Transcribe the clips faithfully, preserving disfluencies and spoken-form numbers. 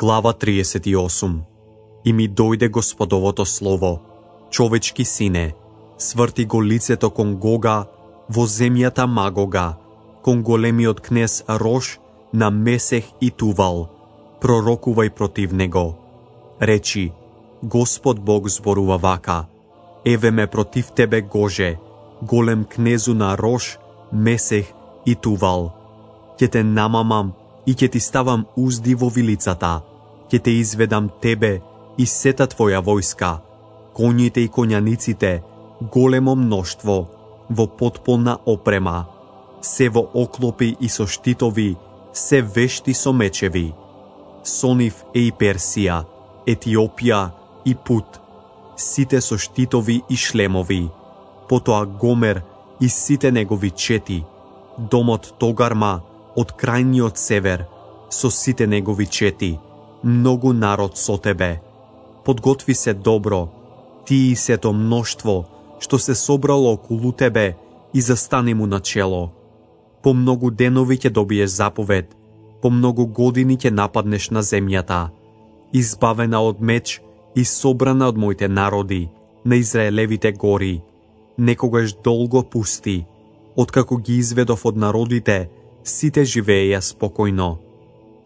Глава триесет и осум. И ми дојде Господовото слово: човечки сине, сврти го лицето кон Гога во земјата Магога, кон големиот кнез Рош на Месех и Тувал. Пророкувај против него. Речи: Господ Бог зборува вака: еве ме против тебе, Гоже, голем кнезу на Рош, Месех и Тувал. Ќе те намамам и ќе ти ставам узди во вилицата, ќе те изведам тебе и сета твоја војска, коњите и коњаниците, големо мноштво, во потполна опрема, се во оклопи и со штитови, се вешти со мечеви. Со нив е и Персија, Етиопија и Пут, сите со штитови и шлемови, потоа Гомер и сите негови чети, домот Тогарма од крајниот север, со сите негови чети, многу народ со тебе. Подготви се добро, ти и сето мноштво, што се собрало околу тебе, и застани му на чело. По многу денови ќе добиеш заповед, по многу години ќе нападнеш на земјата, избавена од меч и собрана од моите народи, на Израелевите гори, некогаш долго пусти, откако ги изведов од народите, сите живееја спокојно.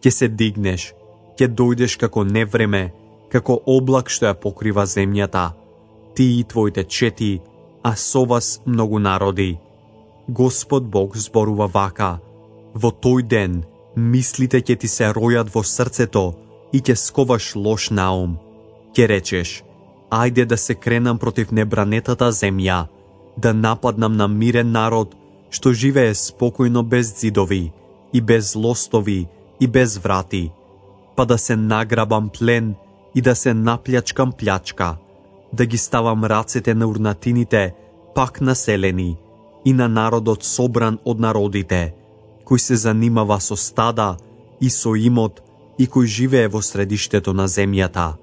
Ќе се дигнеш, ќе дојдеш како невреме, како облак што ја покрива земјата, ти и твоите чети, а со вас многу народи. Господ Бог зборува вака: во тој ден мислите ќе ти се ројат во срцето и ќе сковаш лош наум. Ќе речеш: ајде да се кренам против небранетата земја, да нападнам на мирен народ, што живее спокојно без ѕидови, и без лостови, и без врати, па да се награбам плен и да се наплјачкам плјачка, да ги ставам рацете на урнатините пак населени и на народот собран од народите, кој се занимава со стада и со имот и кој живее во средиштето на земјата.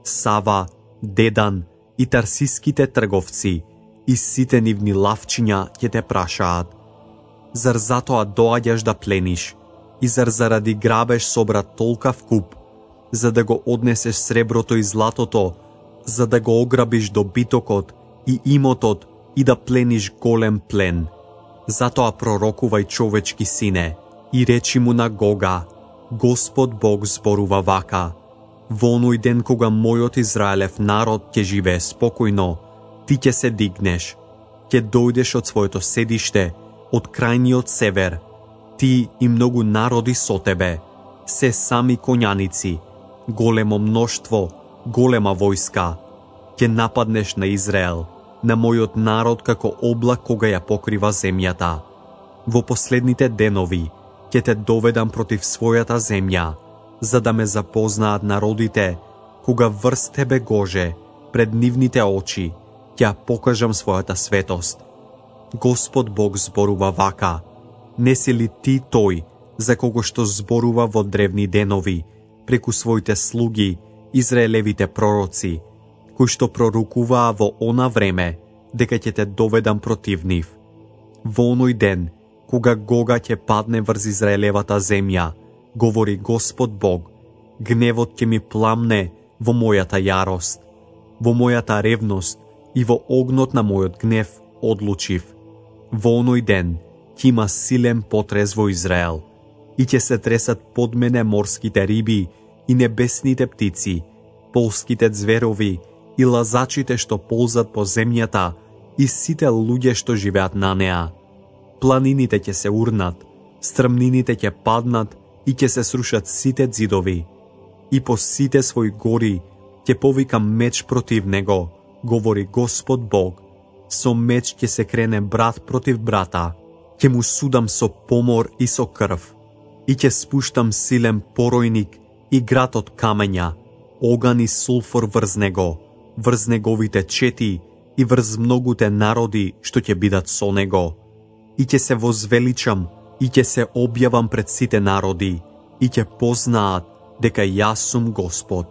Сава, Дедан и тарсиските трговци и сите нивни лавчиња ќе те прашаат: зар затоа доаѓаш да плениш, и зар заради грабеж собра толкав куп, за да го однесеш среброто и златото, за да го ограбиш добитокот и имотот и да плениш голем плен? Затоа пророкувај, човечки сине, и речи му на Гога: Господ Бог зборува вака: во оној ден кога мојот Израелев народ ќе живее спокојно, ти ќе се дигнеш, ќе дојдеш од своето седиште, од крајниот север, ти и многу народи со тебе, се сами коњаници, големо мноштво, голема војска. Ќе нападнеш на Израел, на мојот народ, како облак кога ја покрива земјата. Во последните денови ќе те доведам против својата земја, за да ме запознаат народите, кога врз тебе, Гоже, пред нивните очи, ќе покажам својата светост. Господ Бог зборува вака: не си ли ти тој, за кого што зборува во древни денови, преку своите слуги, Израелевите пророци, кои што пророкуваа во она време, дека ќе те доведам против нив? Во оној ден, кога Гога ќе падне врз Израелевата земја, говори Господ Бог, гневот ќе ми пламне во мојата јарост, во мојата ревност и во огнот на мојот гнев одлучив. Во оној ден ќе има силен потрес во Израел, и ќе се тресат под мене морските риби и небесните птици, полските зверови и лазачите што ползат по земјата и сите луѓе што живеат на неа. Планините ќе се урнат, стрмнините ќе паднат и ќе се срушат сите ѕидови. И по сите своји гори ќе повикам меч против него, говори Господ Бог. Со меч ќе се крене брат против брата, ќе му судам со помор и со крв, и ќе спуштам силен поројник и град од камења, оган и сулфор врз него, врз неговите чети и врз многуте народи што ќе бидат со него. И ќе се возвеличам и ќе се објавам пред сите народи, и ќе познаат дека јас сум Господ.